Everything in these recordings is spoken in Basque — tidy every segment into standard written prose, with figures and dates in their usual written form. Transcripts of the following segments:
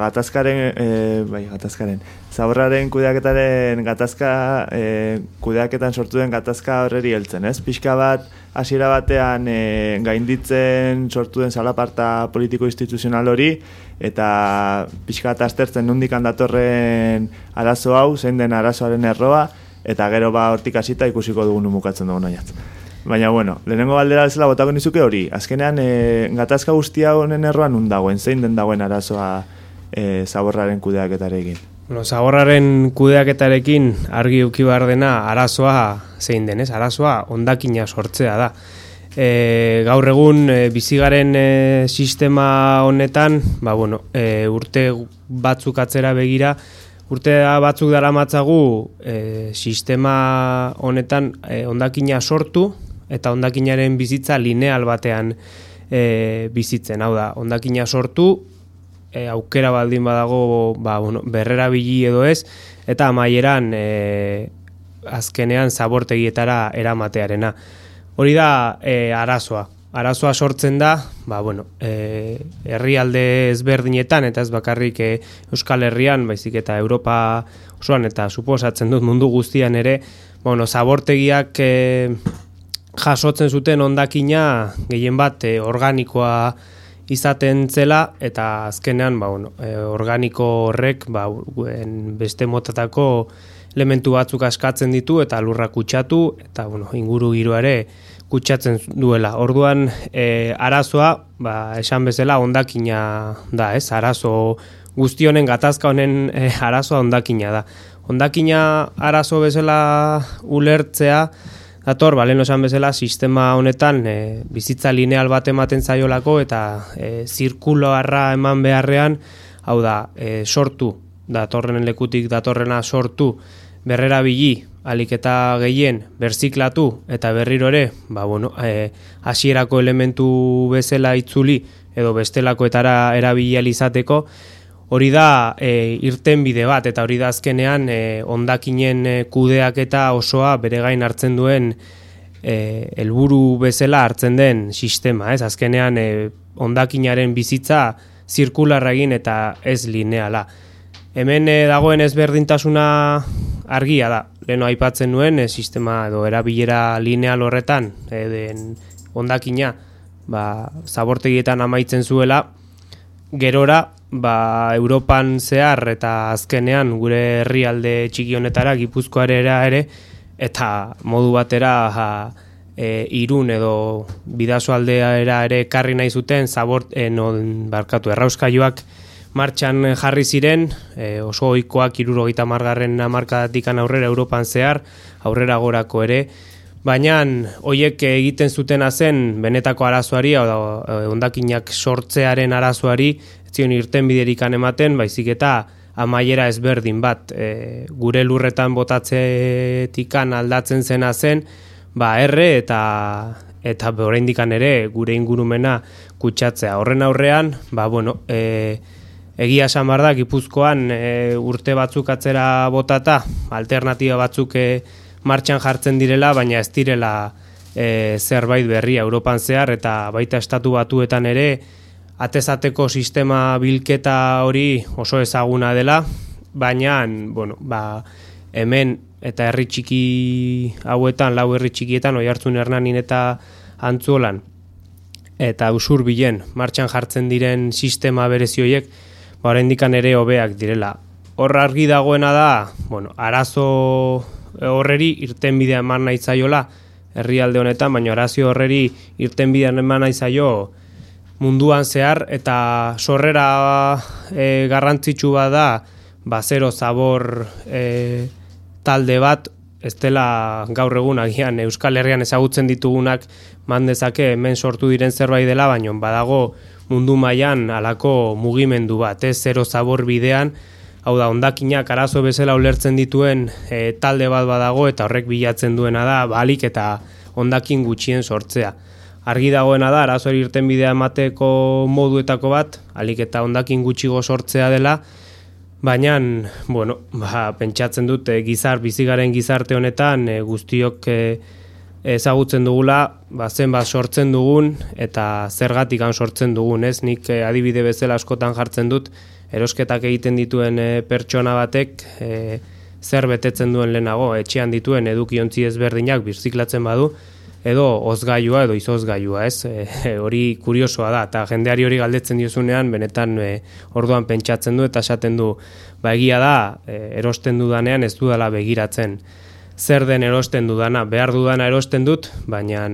gatazkaren, zaborraren kudeaketaren kudeaketan sortu den gatazka horreri heltzen, ez? Pixka bat, hasiera batean gainditzen sortu den zalaparta politiko-instituzional hori, eta pixka bat aztertzen nondik datorren arazo hau, zein den arazoaren erroa, eta gero hortik hasita ikusiko dugun mukatzen dugun oinatz. Baina, bueno, lehenengo galdera bezala botako nizuke hori. Azkenean, gatazka guztia honen erroan nun dagoen, zein den dagoen arazoa zaborraren kudeaketarekin? Bueno, zaborraren kudeaketarekin argi uki behar dena arazoa zein den, ez? Arazoa hondakina sortzea da. Gaur egun bizigaren sistema honetan, urte batzuk atzera begira, urte batzuk daramatzagu sistema honetan hondakina sortu eta hondakinaren bizitza lineal batean bizitzen. Hau da, hondakina sortu, aukera baldin badago berrerabili edo ez, eta amaieran azkenean zabortegietara eramatearena. Hori da arazoa. Arazoa sortzen da, herrialde ezberdinetan, eta ez bakarrik Euskal Herrian, baizik eta Europa osoan, eta suposatzen dut mundu guztian ere, zabortegiak jasotzen zuten hondakina gehien bat organikoa izaten zela, eta azkenean organiko horrek beste motatako elementu batzuk askatzen ditu eta lurra kutsatu, eta inguru giroa ere kutsatzen duela. Orduan arazoa, esan bezala hondakina da, ez? Arazo guzti honen gatazka honen arazoa hondakina da. Hondakina arazo bezala ulertzea dator, lehen esan bezala, sistema honetan bizitza lineal bat ematen zaiolako eta zirkuloarra eman beharrean, hau da, sortu, datorren lekutik datorrena sortu, berrerabili, alik eta gehien, berziklatu eta berriro ere, hasierako elementu bezala itzuli edo bestelakoetara erabili ahal izateko, hori da irtenbide bat, eta hori da azkenean hondakinen kudeaketa osoa bere gain hartzen duen helburu bezala hartzen den sistema, ez? Azkenean hondakinaren bizitza zirkularra egin eta ez lineala. Hemen dagoen ezberdintasuna argia da. Leheno aipatzen nuen sistema edo erabilera lineal horretan den hondakina zabortegietan amaitzen zuela, gerora Europan zehar eta azkenean gure herrialde txiki honetara, Gipuzkoarera ere, eta modu batera Irun edo Bidasoaldera ere karri nahi zuten errauskailuak martxan jarri ziren, oso ohikoak 70. hamarkadatik aurrera Europan zehar, aurrera gorako ere, baina horiek egiten zutena zen benetako arazoari, hondakinak sortzearen arazoari, ez zion irtenbiderik ematen, baizik eta amaiera ezberdin bat, gure lurretan botatzetikan aldatzen zena zen, erre eta oraindik ere gure ingurumena kutsatzea. Horren aurrean, egia esan behar da, Gipuzkoan urte batzuk atzera botata, alternatiba batzuk martxan jartzen direla, baina ez direla zerbait berria Europan zehar, eta baita estatu batuetan ere, atezateko sistema bilketa hori oso ezaguna dela, baina hemen eta herri txiki hauetan, 4 herri txikietan, Oiartzun, Hernanin eta Antzuolan, eta Usurbilen martxan jartzen diren sistema berezi horiek, oraindik ere hobeak direla. Hor argi dagoena da, arazo horreri irtenbidea eman nahi zaiola herrialde honetan, baina arazo horreri irtenbidea eman nahi zaio munduan zehar, eta sorrera garrantzitsu bat da, zero zabor talde bat, ez dela gaur egun agian Euskal Herrian ezagutzen ditugunak mandezake hemen sortu diren zerbait dela, baina badago mundu mailan halako mugimendu bat, zero zabor bidean, hau da, hondakinak arazo bezala ulertzen dituen talde bat badago, eta horrek bilatzen duena da, balik eta hondakin gutxien sortzea. Argi dagoena da, arazoari irtenbidea emateko moduetako bat, alik eta hondakin gutxigo sortzea dela, baina, pentsatzen dut bizigaren gizarte honetan guztiok ezagutzen dugula, zenbat sortzen dugun eta zergatik sortzen dugun, ez? Nik adibide bezala askotan jartzen dut, erosketak egiten dituen pertsona batek zer betetzen duen lehenago, etxean dituen edukiontzi ezberdinak birziklatzen badu, edo ozgailua edo izozgailua, ez? Hori kuriosoa da, eta jendeari hori galdetzen diozunean, benetan orduan pentsatzen du eta esaten du, egia da, erosten dudanean ez dudala begiratzen zer den erosten dudana, behar dudana erosten dut, baina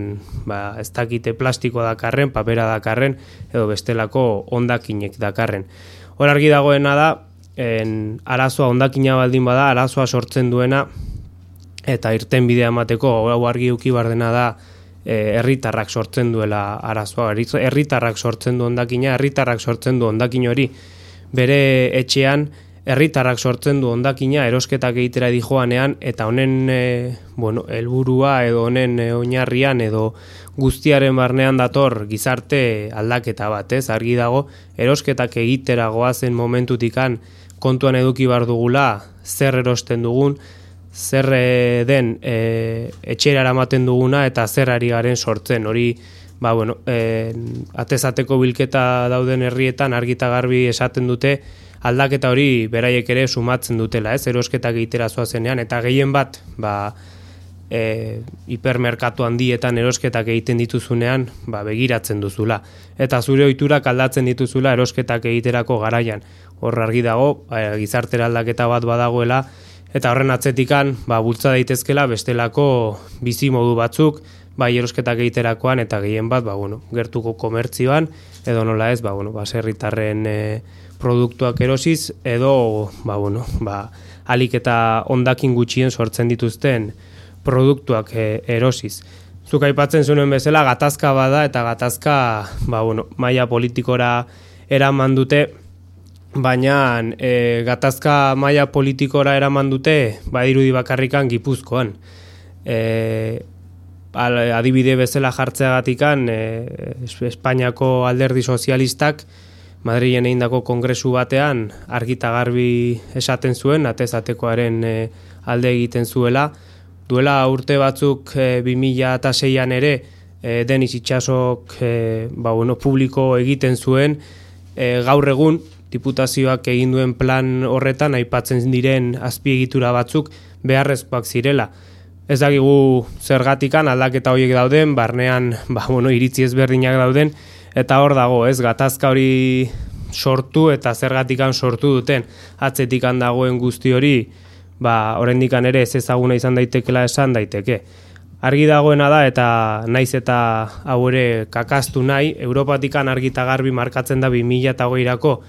ez dakite plastikoa dakarren, papera dakarren, edo bestelako hondakinek dakarren. Hor argi dagoena da, arazoa hondakina baldin bada, arazoa sortzen duena, eta irten bidea emateko, hau argi uki bardena da, herritarrak sortzen duela arazoa. Herritarrak sortzen du hondakina, herritarrak sortzen du hondakin hori bere etxean, herritarrak sortzen du hondakina erosketak egitera dijoanean, eta honen helburua edo honen oinarrian edo guztiaren barnean dator gizarte aldaketa bat, ez? Argi dago, erosketak egitera goazen momentutikan kontuan eduki bar dugula zer erosten dugun, zer den etxera eramaten duguna eta zer ari garen sortzen. Hori, atezateko bilketa dauden herrietan argita garbi esaten dute, aldaketa hori beraiek ere sumatzen dutela, ez? Erosketak egitera zoazenean, eta gehien bat, hipermerkatu handietan erosketak egiten dituzunean, begiratzen duzula. Eta zure ohiturak aldatzen dituzula erosketak egiterako garaian. Hor argi dago, gizartera aldaketa bat badagoela, eta horren atzetikan, bultza daitezkela bestelako bizi modu batzuk, erosketak egiterakoan, eta gehien bat, gertuko komertzioan, edo nola ez, baserritarren produktuak erosiz, edo, alik eta hondakin gutxien sortzen dituzten produktuak erosiz. Zuk aipatzen zuen bezala, gatazka bada, eta gatazka, maila politikora eraman dute, baina gatazka maila politikora eraman dute, badirudi bakarrikan Gipuzkoan. Adibide bezala jartzeagatikan, Espainiako alderdi sozialistak, Madrilen egindako kongresu batean argita garbi esaten zuen, atezatekoaren alde egiten zuela. Duela urte batzuk 2006an ere, Denis Itsasok publiko egiten zuen, gaur egun diputazioak egin duen plan horretan aipatzen diren azpiegitura batzuk beharrezkoak zirela. Ez dakigu zergatikan aldaketa horiek dauden, barnean iritzi ezberdinak dauden, eta hor dago, ez, gatazka hori sortu eta zergatikan sortu duten atzetikan dagoen guzti hori, oraindikan ere ez ezaguna izan daitekela esan daiteke. Argi dagoena da, eta naiz eta hau ere kakastu nahi, Europatikan argita garbi markatzen da 2008erako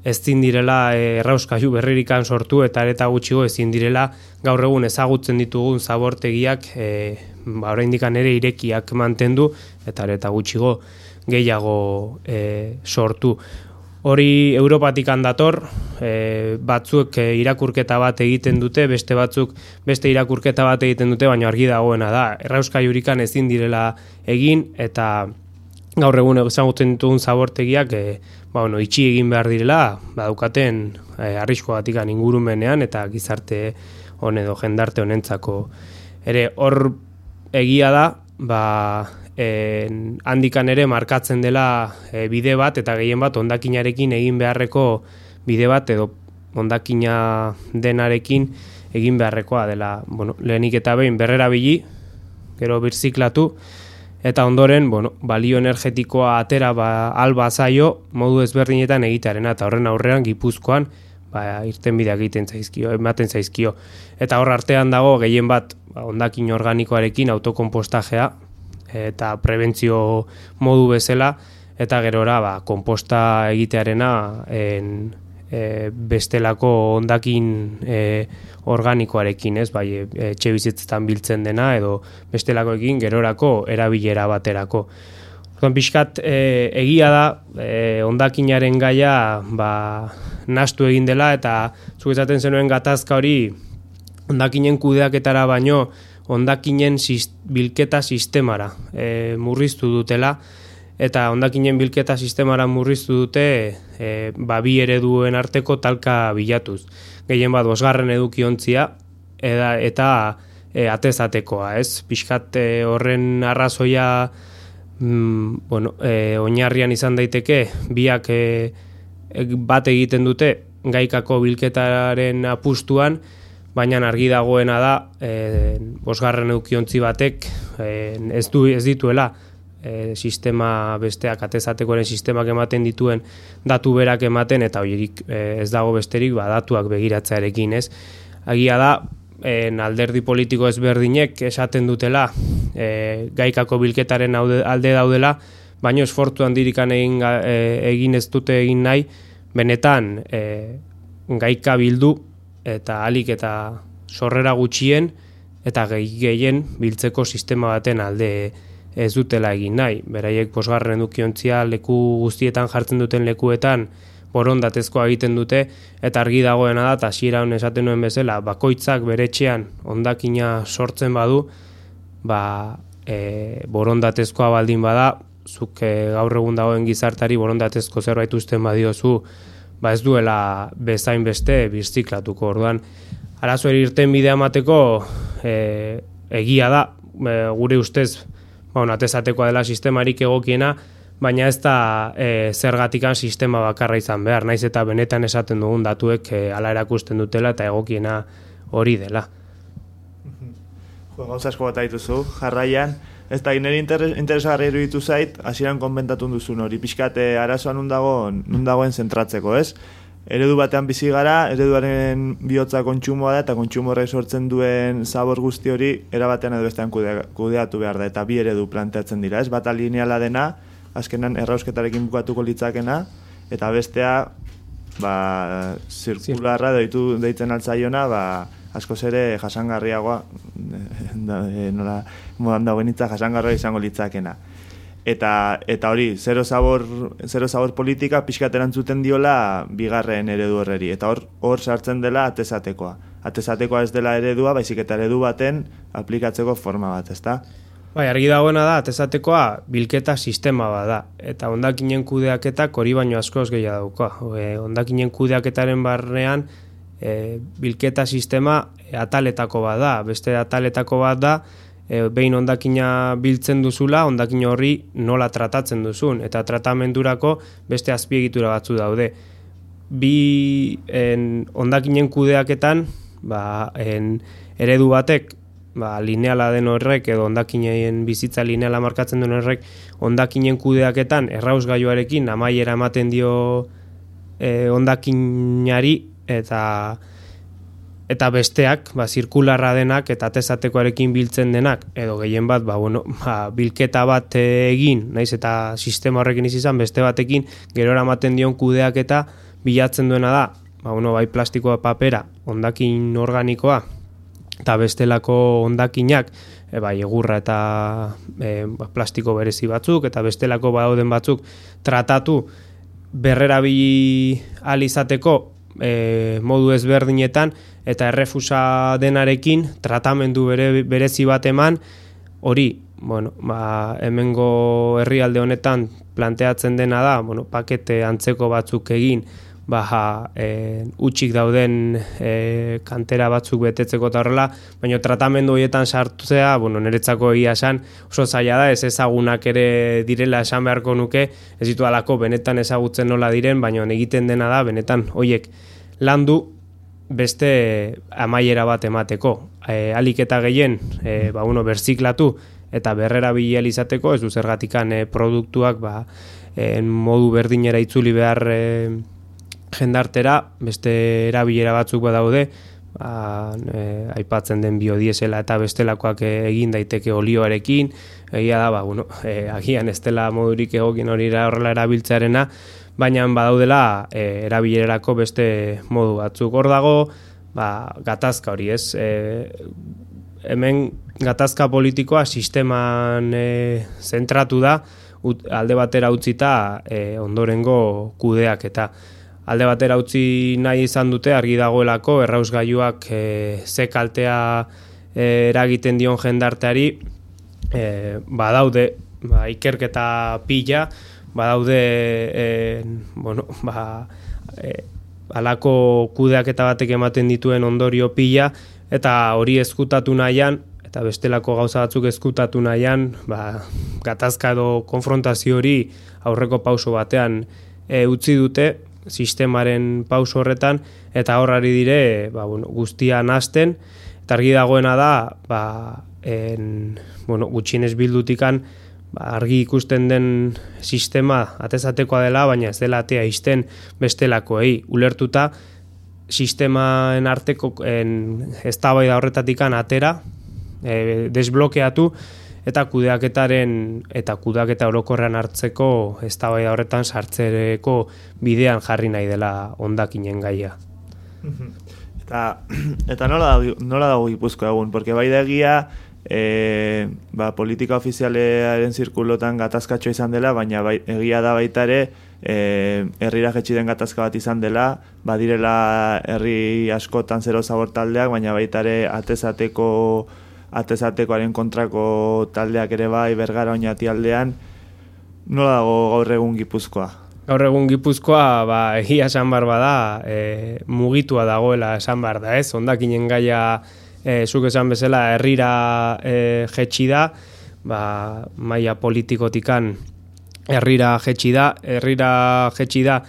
ezin direla errauskailu berririkan sortu, eta areta gutxigo ezin direla gaur egun ezagutzen ditugun zabortegiak oraindikan ere irekiak mantendu, eta areta gutxigo gehiago sortu. Hori Europatikan dator, batzuk irakurketa bat egiten dute, beste batzuk beste irakurketa bat egiten dute, baina argi dagoena da. Errauskailurikan ezin direla egin, eta gaur egun ezagutzen ditugun zabortegiak itxi egin behar direla, daukaten arriskoagatikan ingurumenean eta gizarte hon edo jendarte honentzako. Ere hor egia da, handikan ere markatzen dela bide bat, eta gehien bat hondakinarekin egin beharreko bide bat, edo hondakina denarekin egin beharrekoa dela. Lehenik eta behin berrerabili, gero birziklatu, eta ondoren, balio energetikoa atera alba zaio modu ezberdinetan egitearena, eta horren aurrean Gipuzkoan irtenbideak ematen zaizkio. Eta hor artean dago gehien bat hondakin organikoarekin autokonpostajea, eta prebentzio modu bezala, eta gerora konposta egitearena bestelako hondakin organikoarekin, ez, etxe bizitzetan biltzen dena, edo bestelakoekin gerorako erabilera baterako. Pixkat egia da, hondakinaren gaia nahastu egin dela, eta zuk esaten zenuen gatazka hori hondakinen kudeaketara baino hondakinen bilketa sistemara murriztu dutela, eta hondakinen bilketa sistemara murriztu dute bi ereduen arteko talka bilatuz. Gehien bat 5. edukiontzia eta atezatekoa, ez? Pixkat horren arrazoia oinarrian izan daiteke, biak bat egiten dute gaikako bilketaren apustuan, baina argi dagoena da, bosgarren edukiontzi batek ez dituela sistema besteak, atezatekoaren sistemak ematen dituen datu berak ematen, eta horiek ez dago besterik datuak begiratzearekin, ez? Agia da, alderdi politiko ezberdinek esaten dutela gaikako bilketaren alde daudela, baina esfortzu handirikan egin ez dute egin nahi, benetan gaika bildu eta alik eta sorrera gutxien eta gehien biltzeko sistema baten alde ez dutela egin nahi. Beraiek bosgarren edukiontzia leku guztietan jartzen duten lekuetan borondatezkoa egiten dute, eta argi dagoena da, eta hasieran esaten nuen bezala, bakoitzak bere etxean hondakina sortzen badu, borondatezkoa baldin bada, zuk gaur egun dagoen gizartari borondatezko zerbait uzten badiozu, ez duela bezain beste birziklatuko. Orduan, arazoari irten bidea emateko egia da, gure ustez, atezatekoa dela sistemarik egokiena, baina ez da zergatikan sistema bakarra izan behar, naiz eta benetan esaten dugun datuek hala erakusten dutela eta egokiena hori dela. Gauza asko bat aituzu, jarraian, ez da nire interesgarri iruditu zait, hasieran konbentatu duzun hori, pixkat arazoa nun dagoen zentratzeko, ez? Eredu batean bizi gara, ereduaren bihotza kontsumoa da, eta kontsumo horrek sortzen duen zabor guzti hori erabatean edo bestean kudeatu behar da, eta bi eredu planteatzen dira, ez? Bata lineala dena, azkenan errausketarekin bukatuko litzakena, eta bestea zirkularra deitzen altzaiona, askoz ere jasangarriagoa, nola modan dagoen hitza jasangarria izango litzakena. Eta hori, zero zabor politika pixkat erantzuten diola bigarren eredu horreri. Eta hor sartzen dela atezatekoa. Atezatekoa ez dela eredua, baizik eta eredu baten aplikatzeko forma bat, ezta? Bai, argi dagoena da, atezatekoa bilketa sistema bat da. Eta hondakinen kudeaketak hori baino askoz gehiago dauka. Hondakinen kudeaketaren barnean bilketa sistema ataletako bat da. Beste ataletako bat da, behin hondakina biltzen duzula, hondakin horri nola tratatzen duzun, eta tratamendurako beste azpiegitura batzu daude. Hondakinen kudeaketan, eredu batek, lineala den horrek, edo hondakinen bizitza lineala markatzen den horrek, hondakinen kudeaketan errausgailuarekin amaiera ematen dio hondakinari, eta besteak, zirkularra denak eta atezatekoarekin biltzen denak, edo gehien bat, bilketa bat egin, naiz eta sistema horrekin izan, beste batekin, gerora ematen dion kudeaketa bilatzen duena da, bai plastikoa papera, hondakin organikoa, eta bestelako hondakinak, egurra eta plastiko berezi batzuk, eta bestelako dauden batzuk tratatu berrerabili ahal izateko modu ezberdinetan, eta errefusa denarekin tratamendu berezi bat eman, hori, hemengo herrialde honetan planteatzen dena da, pakete antzeko batzuk egin, utxik dauden kantera batzuk betetzeko eta horrela, baina tratamendu horietan sartzea, niretzako egia esan, oso zaila da, ez ezagunak ere direla esan beharko nuke, ez ditu alako benetan ezagutzen nola diren, baina egiten dena da, benetan horiek landu beste amaiera bat emateko. Alik eta gehien, berziklatu eta berrerabili ahal izateko, ez du zergatikan produktuak modu berdinera itzuli behar jendartera, beste erabilera batzuk badaude, aipatzen den biodiesela eta bestelakoak egin daiteke olioarekin, egia da, agian ez dela modurik egokien hori horrela erabiltzearena, baina badaudela erabilerarako beste modu batzuk. Hor dago, gatazka hori, ez? Hemen gatazka politikoa sisteman zentratu da, alde batera utzita ondorengo kudeak, eta alde batera utzi nahi izan dute, argi dagoelako, errausgailuak ze kaltea eragiten dion jendarteari, badaude, ikerketa pila, badaude halako kudeaketa batek ematen dituen ondorio pila, eta hori ezkutatu nahian, eta bestelako gauza batzuk ezkutatu nahian, gatazka edo konfrontazio hori aurreko pauso batean utzi dute, sistemaren pauso horretan, eta horrari dire guztia nahasten, eta argi dagoena da, gutxienez bildutikan, argi ikusten den sistema atezatekoa dela, baina ez dela atea izten bestelakoei. Ulertuta, sistemaen arteko eztabaida horretatikan atera, desblokeatu, eta kudeaketa orokorrean hartzeko eztabaida horretan sartzereko bidean jarri nahi dela hondakinen gaia. Eta nola dago Gipuzkoa egun? Porque bai da egia, politika ofizialearen zirkulotan gatazkatxo izan dela, baina egia da baita ere, herrira jetxi den gatazka bat izan dela, badirela herri askotan zero zabor taldeak, baina baita ere atezatekoaren kontrako taldeak ere bai, Bergara Oñati aldean. Nola dago gaur egun Gipuzkoa? Gaur egun Gipuzkoa, egia esan behar bada, mugitua dagoela esan behar da, ez? Hondakinen gaia, zuk esan bezala, herrira jetxi da, maila politikotikan herrira jetxi da,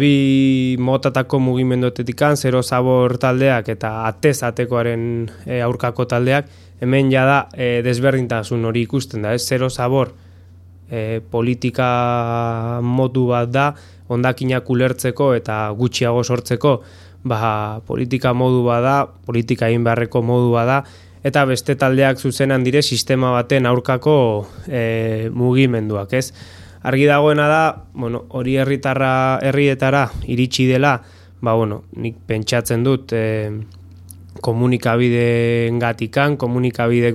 bi motatako mugimenduetetikan, zero zabor taldeak eta atezatekoaren aurkako taldeak, hemen jada desberdintasun hori ikusten da, ez? Zero zabor politika modu bat da, hondakinak ulertzeko eta gutxiago sortzeko, politika modu bat da, politika egin beharreko modu bat da, eta beste taldeak zuzenan dire sistema baten aurkako mugimenduak, ez? Argi dagoena da, hori herrietara iritsi dela, nik pentsatzen dut komunikabidek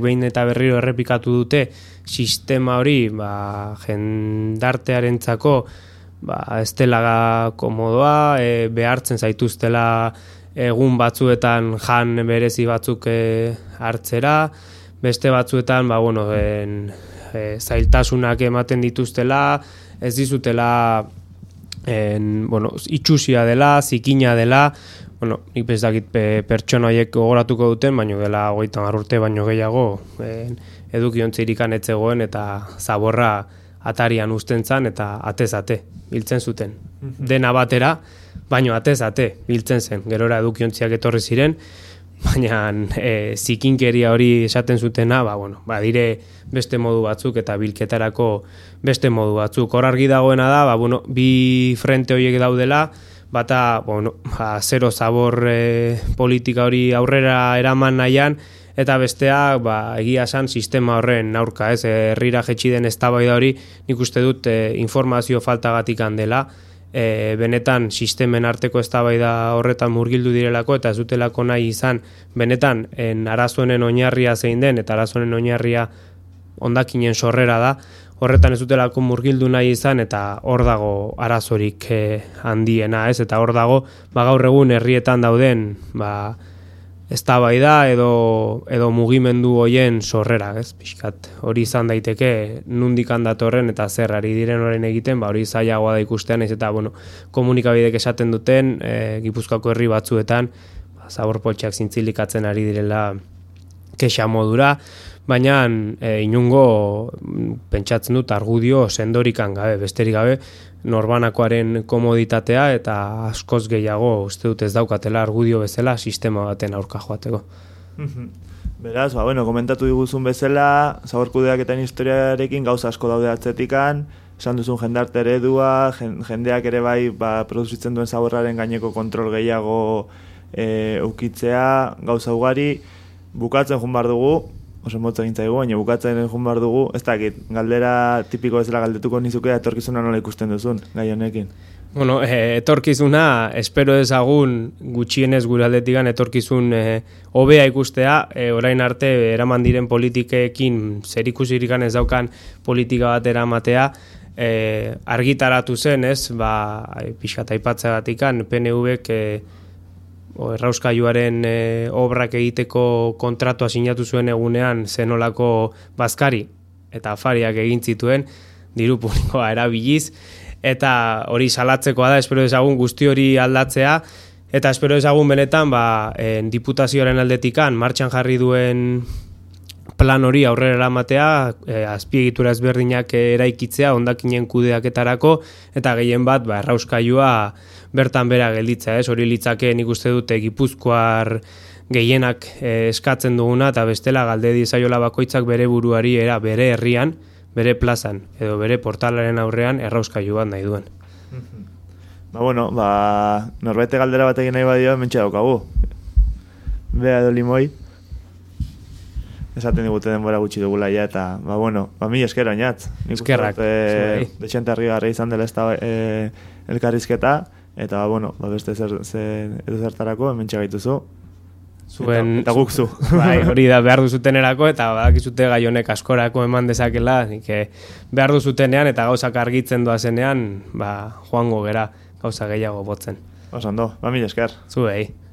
behin eta berriro errepikatu dute sistema hori jendartearentzako ez dela komodoa, behartzen zaituztela egun batzuetan jan berezi batzuk hartzera, beste batzuetan zailtasunak ematen dituztela, ez dizutela itxusia dela, zikina dela, nik bezakit pertsona horiek gogoratuko duten, baino dela 30 urte baino gehiago edukiontzirikan etzegoen eta zaborra atarian uzten zan eta atez-ate biltzen zuten. Dena batera, baino atez-ate biltzen zen. Gerora edukiontziak etorri ziren, baina zikinkeria hori esaten zutena, dire beste modu batzuk eta bilketarako beste modu batzuk. Hor argi dagoena da, bi frente horiek daudela, bata, zero zabor politika hori aurrera eraman nahian, eta bestea, egia esan sistema horren aurka, ez, herrira jetxi den eztabaida hori, nik uste dut informazio faltagatik dela, benetan sistemen arteko eztabaida horretan murgildu direlako, eta ez dutelako nahi izan, benetan arazoenen oinarria zein den, eta arazoenen oinarria hondakinen sorrera da, horretan ez dutelako murgildu nahi izan, eta hor dago arazorik handiena, ez, eta hor dago, gaur egun herrietan dauden, eztabaida edo mugimendu hoien sorrera, ez? Pixkat hori izan daiteke nundik datorren eta zer ari diren orain egiten, hori zailagoa da ikustean, ez eta komunikabidek esaten duten Gipuzkoako herri batzuetan zaborpoltxak zintzilikatzen ari direla kexa modura, baina inungo pentsatzen dut argudio sendorikan gabe, besterik gabe, norbanakoaren komoditatea eta askoz gehiago uste dut ez daukatela argudio bezala sistema baten aurka joateko. Beraz, komentatu diguzun bezala, zaborkudeaketan historiarekin gauza asko daude atzetikan, esan duzun jendarte eredua, jendeak ere bai produzitzen duen zaborraren gaineko kontrol gehiago ukitzea, gauza ugari, bukatzen joan behar dugu, oso motza gintzaigu, baina bukatzen joan behar dugu, ez dakit, galdera tipiko bezala galdetuko nizuke etorkizuna nola ikusten duzun, gai honekin. Etorkizuna, espero ezagun gutxienez gure aldetikan etorkizun hobea ikustea, orain arte eraman diren politikekin zerikusirikan ez daukan politika bat eramatea, argitaratu zen, ez, pixkat aipatzegatikan, PNV-ek errauskailuaren obrak egiteko kontratua sinatu zuen egunean zenolako bazkari eta afariak egin zituen diru publikoa erabiliz, eta hori salatzekoa da, espero ezagun guzti hori aldatzea, eta espero ezagun benetan diputazioaren aldetikan martxan jarri duen plan hori aurrera eramatea, azpiegitura ezberdinak eraikitzea hondakinen kudeaketarako eta gehien bat errauskailua bertan bera gelditza, hori litzake nik uste dute Gipuzkoar gehienak eskatzen duguna eta bestela galde diezaiola bakoitzak bere buruari bere herrian, bere plazan edo bere portalaren aurrean errauskailu bat nahi duen. Norbete galdera bat egin nahi badio, mentxe daukagu. Bea edo limoi. Esaten digute denbora gutxi dugula ja, eta, mila esker oinatz. Eskerrak. Dexente harrigarri izan dela elkarrizketa, eta, beste zertarako, mentxe gaituzu. Eta guk zu. Hori da behar duzutenerako, eta badakizute gai honek askorako eman dezakela, behar duzutenean eta gauzak argitzen doazenean, joango gera gauza gehiago botzen. Osando, mila esker. Zuei.